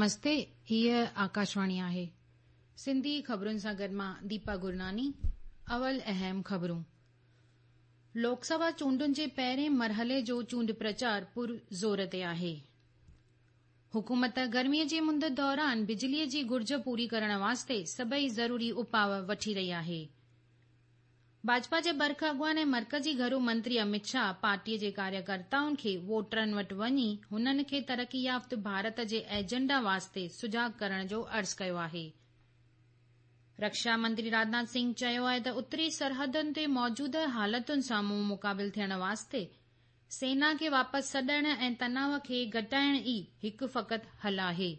نمستي هيء آڪاشواڻي آهي. سنڌي خبرن سان گڏ مان ديپا گرناني. اول اهم خبرون. لوڪ سڀا چونڊن جي پهرين مرحلي جو چونڊ پرچار پر زور تي آهي. حڪومت گرميء جي مند دوران بجليء جي گهرج پوري ڪرڻ واسطي سڀئي ضروري اپاء وٺي رهي آهي. ڀاجپا جي برک اڳواڻ ۽ مرڪزي گهرو منتري امت شاهه پارٽيء جي ڪاريڪرتائن کي ووٽرن وٽ وڃي هنن کي ترقي يافته ڀارت جي ايجنڊا واسطي سجاڳ ڪرڻ جو عرض ڪيو آهي. رڪشا منتري راجناٿ سنگهه چيو آهي ته اتري سرحدن تي موجوده حالتن سان منهن مقابل ٿيڻ واسطي سينا کي واپس سڏڻ ۽ تناء کي گهٽائڻ ئي هڪ فقط حل آهي.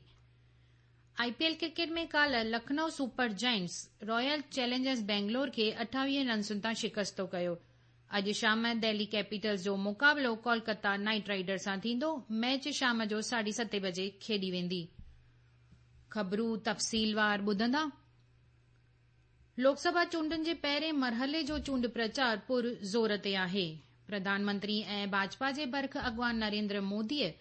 آء پي ايل ڪرڪيٽ ۾ ڪالهه Lucknow super giants royal challengers Bangalore کي 28 رنسن تان شڪستو ڪيو. اڄ شام دهلي ڪيپيٽلز جو مقابلو ڪولڪتا نائيٽ رائيڊرز سان ٿيندو، ميچ شام جو ساڍي ستين بجي کيڏي ويندي. خبرون تفصيلوار ٻڌندا. لوڪ سڀا چونڊن جي پهرين مرحلي جو چونڊ پرچار پر زور تي آهي. پرڌان منتري ۽ ڀاجپا جي برک اڳواڻ نريندر موديء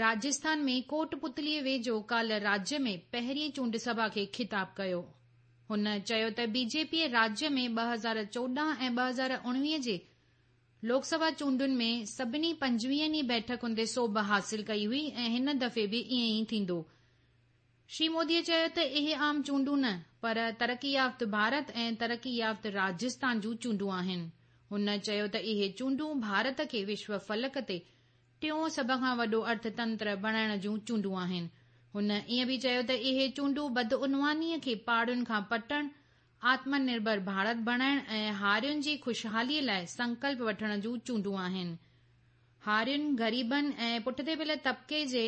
راجسٿان ۾ ڪوٽ پتليء ويجهو ڪالهه راجيه ۾ پهرين چونڊ سڀا کي خطاب ڪيو. هن چيو ته بي جي پيء راجيه ۾ 2014 ۽ 2019 جي لوڪ سڀا چونڊن ۾ سڀني پنجويهن ئي بيٺڪن تي سوڀ حاصل ڪئي هئي ۽ هن دفعي به ائين ئي ٿيندو. شري موديء چيو ته اهي عام چونڊون نه پر ترقي يافته ڀارت ۽ ترقي يافته راجسٿان جون چونڊون آهن. هن چيو ته اهي چونڊون ڀارت کي وشو فلڪ تي ٽيون سڀ کان وڏو ارٿ تنتر بڻائڻ جون چونڊون آهن. هن ائين به چيو ته اهي چونڊون بدعنوانيء کي پاڙن کان پٽڻ، آتم نرڀر ڀارت بڻائڻ ۽ هارين جي خوشحاليء لاء سنڪلپ وٺڻ جون چونڊون آهن. هارين، غريبن ۽ پٺتي پيل طبقي جي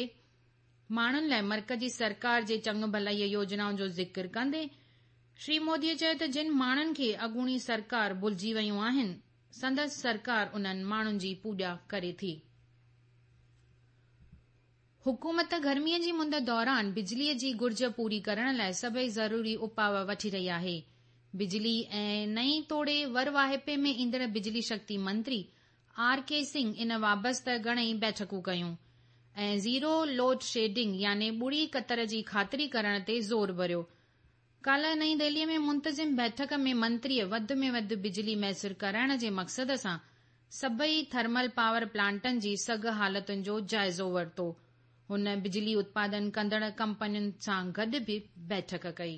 ماڻهن لاء مرڪزي سرڪار جي چڱ ڀلائيء يوجنائن جو ذڪر ڪندي شري موديء چيو ته جن ماڻهن کي اڳوڻي سرڪار ڀلجي ويون آهن، سندس سرڪار انهن ماڻهن جي پوڄا ڪري ٿي. حڪومت گرميء جي مند دوران بجليء جي گهرج پوري ڪرڻ لاء سڀئي ضروري اپاء وٺي رهي آهي. بجلي ۽ نئين توڙي ور واهپي ۾ ايندڙ بجلي شڪتي منتري آر ڪي سنگهه ان وابسته گهڻئي بيٺڪون ڪيون ۽ زيرو لوڊ شيڊنگ يعني ٻڙي ڪتر جي خاطري ڪرڻ تي زور ڀريو. ڪالهه نئين دهليء ۾ منتظم بيٺڪ ۾ منتريء وڌ ۾ وڌ بجلي ميسر ڪرائڻ جي مقصد سان سڀئي ٿرمل پاور پلانٽن جي سگهه حالتن جو جائزو ورتو. هن بجلي اتپادن ڪندڙ ڪمپنين سان گڏ به بيٺڪ ڪئي.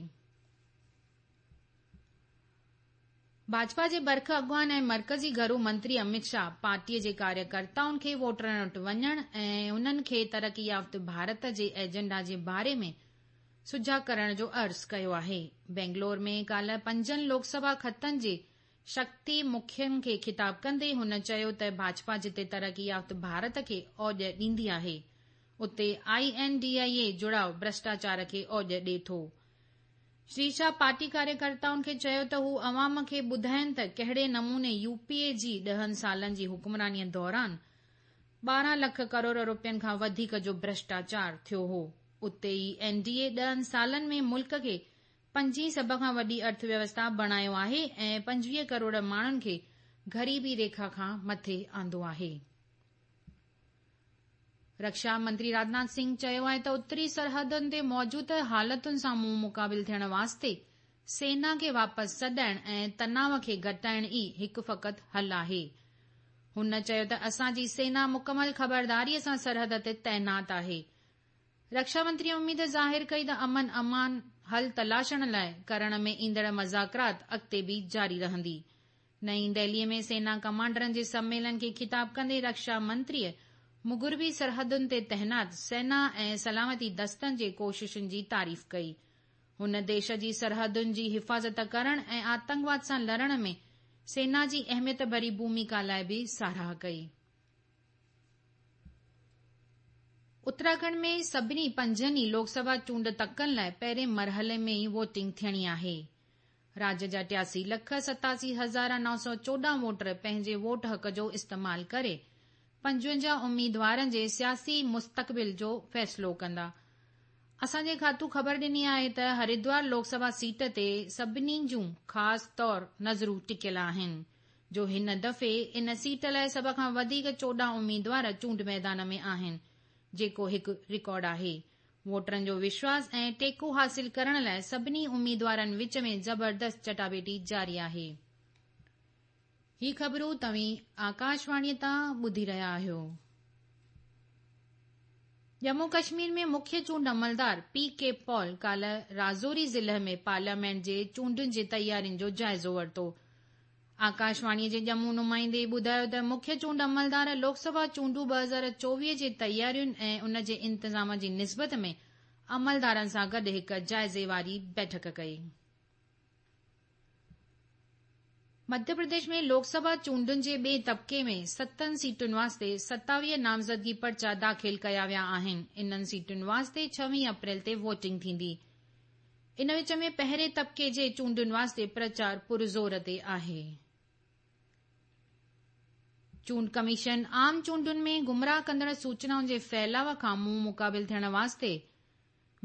ڀاجپا جي برک اڳواڻ ۽ مرڪزي گهرو منتري امت شاهه پارٽيء جي ڪاريڪرتائن کي ووٽرن وٽ وڃڻ ۽ انهن کي ترقي يافته ڀارت جي ايجنڊا جي باري ۾ سجاڳ ڪرڻ جو عرض ڪيو آهي. بينگلور ۾ ڪالهه پنجن لوڪ سڀا خطن جي شڪتي مکين کي خطاب ڪندي هن چيو ته ڀاجپا جتي ترقي يافته ڀارت کي اوڄ ڏيندي آهي اتي I N D I اي جڙاء ڀرشٽاچار کي اوڄ ڏي ٿو. شري شاهه پارٽي ڪاريڪرتائن کي چيو ته هو عوام کي ٻڌائين ته ڪهڙي نموني يو پي اي جي ڏهن سالن جي حڪمراني دوران 12 لک ڪروڙ روپين کان وڌيڪ جو ڀرشٽاچار ٿيو هو. اتي ئي اين ڊي اي ڏهن سالن ۾ ملڪ کي پنجين سڀ کان وڏي ارٿ ويوسٿا بڻايو آهي ۽ 25 ڪروڙ ماڻهن کي غريبي ريکا کان مٿي آندو آهي. رڪشا منتري راجناٿ سنگهه چيو آهي ته اتري سرحدن تي موجوده حالتن سان منهن مقابل ٿيڻ واسطي سينا کي واپس سڏائڻ ۽ تناء کي گهٽائڻ ئي هڪ فقط حل آهي. هن چيو ته اسان جي سينا مڪمل خبرداريء سان سرحد تي تعينات آهي. رڪشا منتري اميد ظاهر ڪئي ته امن امان حل تلاشڻ لاء ڪرڻ ۾ ايندڙ مذاڪرات اڳتي به جاري رهندي. نئين دهليء ۾ سينا ڪمانڊرن جي سميلن کي خطاب ڪندي رڪشا منتريء مغربي سرحدن تي تعينات سينا ۽ سلامتي دستن جي ڪوششن جي تعريف ڪئي. هن ديش جي سرحدن جي حفاظت ڪرڻ ۽ آتنڪواد سان لڙڻ ۾ سينا جي اهميت ڀري ڀوميڪا لاء به ساراهه ڪئي. اتراکنڊ ۾ سڀني پنجن ئي لوڪ سڀا چونڊ تڪن لاء پهرين مرحلي ۾ ئي ووٽنگ ٿيڻي آهي. راجيه جا 83 لک 87 هزار 914 ووٽر پنهنجي ووٽ حق جو استعمال ڪري 55 اميدوارن جي سياسي مستقبل جو فيصلو ڪندا. اسان جي کاتو خبر ڏني آهي ته هردوار لوڪ سڀا سيٽ تي سڀني جون خاص طور نظرون ٽڪيل آهن جو هن دفعي ان سيٽ لاء سڀ کان وڌيڪ 14 اميدوار چونڊ ميدان ۾ آهن جيڪو هڪ رڪارڊ آهي. ووٽرن جو وشواس ۽ ٽيڪو حاصل ڪرڻ لاء سڀني اميدوارن وچ ۾ زبردست چٽاڀيٽي جاري آهي. هي خبرون توهين آڪاشواڻيء تان ٻڌي رهيا آهيو. ڄمون ڪشمير ۾ مکيه چونڊ عملدار پي ڪي پال ڪالهه راجوري ضلعي ۾ پارليامينٽ جي چونڊن جي تيارين جو جائزو ورتو. آڪاشواڻيء جي ڄمون نمائندي ٻڌايو ته مکيه چونڊ عملدار لوڪ سڀا چونڊون 2024 جي تيارين ۽ ان جي انتظام جي نسبت ۾ عملدارن سان گڏ هڪ جائزي واري بيٺڪ ڪئي. مڌيه پرديش ۾ لوڪ سڀا چونڊن جي ٻئي طبقي ۾ ستن سيٽن واسطي 27 نامزدگي پرچا داخل ڪيا ويا آهن. انهن سيٽن واسطي 26 اپريل تي ووٽنگ ٿيندي. ان وچ ۾ پهرين طبقي جي چونڊن واسطي پرچار پرزور تي آهي. چونڊ ڪميشن عام چونڊن ۾ گمراهه ڪندڙ سوچنائن جي ڦهلاء کان منهن مقابل ٿيڻ واسطي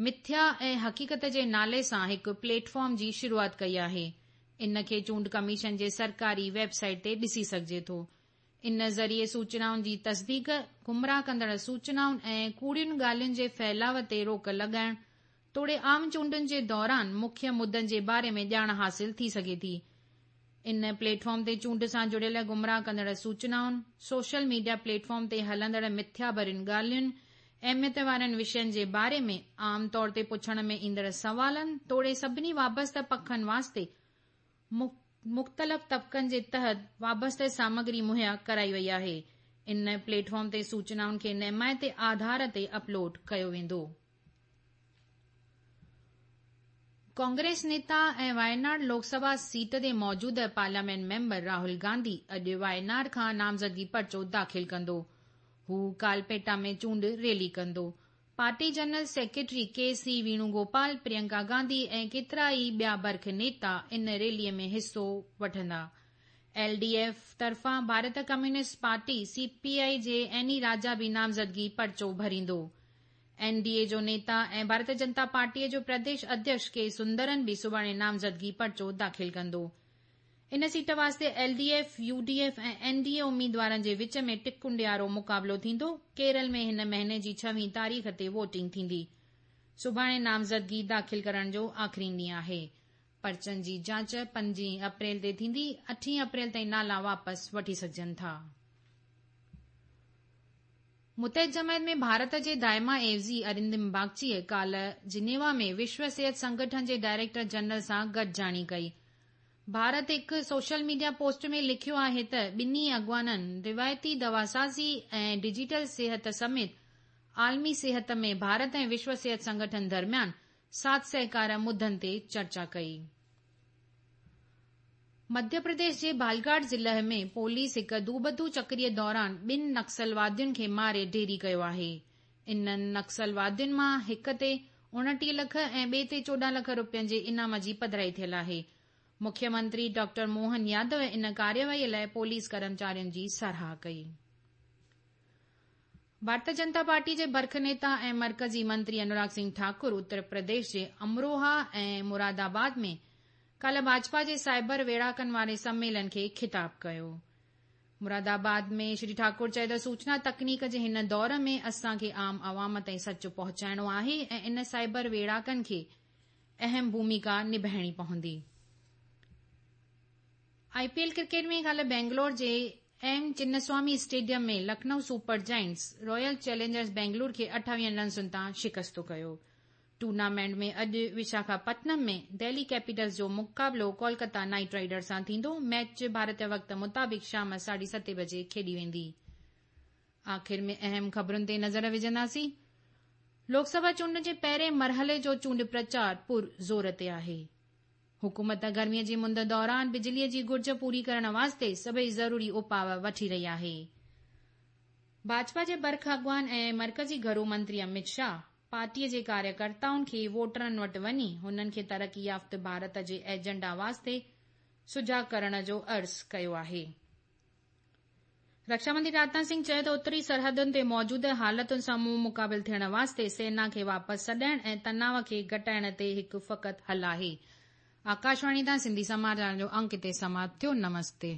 مٿيا ۽ حقيقت جي نالي سان هڪ پليٽ فارم جي شروعات ڪئي آهي. ان کي چونڊ ڪميشن جي سرڪاري ويب سائيٽ تي ڏسي سگهجي ٿو. ان ذريعي سوچنائن جي تصديق، گمراهه ڪندڙ سوچنائن ۽ ڪوڙين ڳالهين جي ڦهلاء تي روڪ لڳائڻ توڙي عام چونڊن جي دوران مکيه مدن جي باري ۾ ڄاڻ حاصل ٿي سگهي ٿي. ان پليٽ فارم تي چونڊ سان جڙيل گمراهه ڪندڙ سوچنائن، سوشل ميڊيا پليٽ فارم تي هلندڙ مٿيا ڀرين ڳالهين، اهميت وارن وشين جي باري ۾ عام طور تي پڇڻ ۾ ايندڙ سوالن توڙي سڀني وابسته پکن واسطي مختلف طبقن جي تحت وابسته سامگري مهيا ڪرائي وئي آهي. ان پليٽ فارم تي سوچنائن کي نيمائتي آڌار تي اپلوڊ ڪيو ويندو. ڪانگريس نيتا ۽ وايناڊ لوڪ سڀا سيٽ تي موجوده پارليامينٽ ميمبر راهول گانڌي اڄ وايناڊ کان نامزدگي پرچو داخل ڪندو. هو ڪالپيٽا ۾ چونڊ ريلي ڪندو. Party general secretary K C Venugopal, Priyanka Gandhi ۽ ڪيترائي ٻيا برک نيتا ان ريلي ۾ حصو وٺندا. ايل ڊي ايف طرفان Bharat communist party, C P I, جي اين اي راجا به نامزدگي پرچو ڀريندو. اين ڊي اي جو نيتا ۽ ڀارتيه جنتا پارٽيء جو پرديش اڌيڪش ڪي سندرن به سڀاڻي نامزدگي پرچو داخل ڪندو. ان سيٽ واسطي L D F, U D F ۽ N D A اميدوارن جي وچ ۾ ٽڪنڊيارو مقابلو ٿيندو. ڪيرل ۾ هن مهيني جي ڇويهين تاريخ تي ووٽنگ ٿيندي. سڀاڻي نامزدگي داخل ڪرڻ جو آخرين ڏينهن آهي. پرچن جي جاچ پنجين اپريل تي ٿيندي، اٺين اپريل تائين نالا واپس وٺي سگهجن ٿا. متحد جماعت ۾ ڀارت جي دائما عيوضي ارندم باگچيء ڪالهه جنيوا ۾ وشو صحت سنگٺن جي ڊائريڪٽر جنرل سان گڏجاڻي ڪئي. ڀارت هڪ سوشل ميڊيا پوسٽ ۾ لکيو آهي ته ٻنهي اڳواڻن روايتي دواسازي ۽ ڊجيٽل صحت سميت عالمي صحت ۾ ڀارت ۽ وشو صحت سنگٺن درميان ساٿ سهڪار مدن تي چرچا ڪئي. مڌيه پرديش جي بالگهاٽ ضلعي ۾ پوليس هڪ دوبدو چڪريء دوران ٻن نڪسلوادين کي ماري ڍيري ڪيو آهي. انهن نڪسلوادين مان هڪ تي 29 لک ۽ ٻئي تي 14 لک روپين جي انعام جي پڌرائي ٿيل آهي. مکيه منتري ڊاڪٽر موهن يادو ان ڪارروائي لاء پوليس ڪرمچارين جي ساراهه ڪئي. ڀارتيه جنتا پارٽي جي برک نيتا ۽ مرڪزي منتري انوراگ سنگهه ٺاڪر اتر پرديش جي امروها ۽ مرادآباد ۾ ڪالهه ڀاجپا جي سائبر ويڙهاڪن واري سميلن کي خطاب ڪيو. مرادآباد ۾ شري ٺاڪر چيو ته سوچنا تڪنيڪ جي هن دور ۾ اسان کي عام عوام تائين سچ پهچائڻو آهي ۽ ان سائبر ويڙهاڪن کي اهم ڀوميڪا نڀائڻي پوندي. آء پي ايل ڪرڪيٽ ۾ ڪالهه بينگلور جي M Chinnaswamy stadium ۾ Lucknow super giants royal challengers Bangalore کي 28 رنسن تان شڪست ڪيو. ٽورنامينٽ ۾ اڄ وشاکا پٽنم ۾ دهلي ڪيپيٽلز جو مقابلو ڪولڪتا نائيٽ رائيڊرز سان ٿيندو. ميچ ڀارتي وقت مطابق شام ساڍي ستين بجي کيڏي ويندي. آخر ۾ اهم خبرن تي نظر وجهنداسين. لوڪ سڀا چونڊن جي پهرين مرحلي جو چونڊ پرچار پر زور تي آهي. حڪومت گرميء جي مند دوران بجليء جي گهرج پوري ڪرڻ واسطي سڀئي ضروري اپاء وٺي رهي آهي. ڀاجپا جي برک اڳواڻ ۽ مرڪزي گهرو منتري امت شاهه پارٽيء جي ڪاريڪرتائن کي ووٽرن وٽ وڃي هنن کي ترقي يافته ڀارت جي ايجنڊا واسطي سجاڳ ڪرڻ جو عرض ڪيو آهي. رڪشا منتري راجناٿ سنگهه چيو ته اتري سرحدن تي موجوده حالتن سان منهن مقابل ٿيڻ واسطي سينا کي واپس سڏائڻ ۽ تناء کي گهٽائڻ تي هڪ فقط حل آهي. آڪاشواڻي تان سنڌي سماچارن جو انڪ هتي سماپت ٿيو. نمستي.